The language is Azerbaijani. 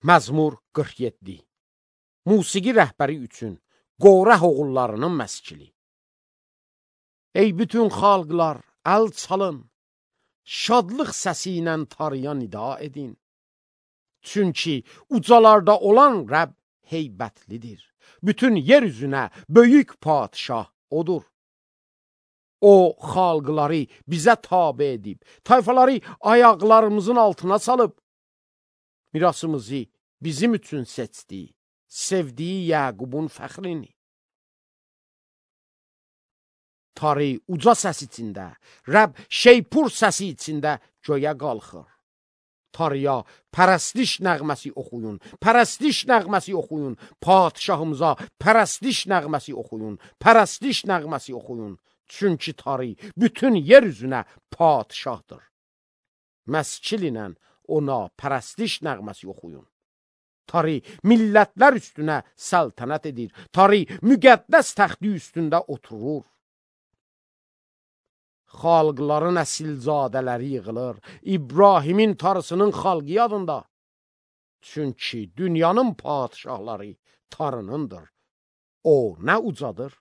Məzmur 47. Musiqi rəhbəri üçün Qorah oğullarının məskili. Ey bütün xalqlar, əl çalın, şadlıq səsi ilə Tanrıya nida edin. Çünki ucalarda olan Rəbb heybətlidir. Bütün yer üzünə böyük padişah odur. O, xalqları bizə tabe edib, tayfaları ayaqlarımızın altına salıb, mirasımızı bizim üçün seçdi, sevdiyi Yaqubun fəxrini. Tanrı uca səs içində, Rəbb şeypur səsi içində göyə qalxır. Tanrıya pərəstiş nəğməsi oxuyun, pərəstiş nəğməsi oxuyun, padişahımıza pərəstiş nəğməsi oxuyun, pərəstiş nəğməsi oxuyun. Çünki Tanrı bütün yer üzünə padişahdır. Məskil ilə ona pərəstiş nəğməsi oxuyun. Tanrı millətlər üstünə səltənət edir. Tanrı müqəddəs təxti üstündə oturur. Xalqların əsilzadələri yığılır, İbrahimin Tanrısının xalqı yadında. Çünki dünyanın padişahları Tanrınındır. O nə ucadır,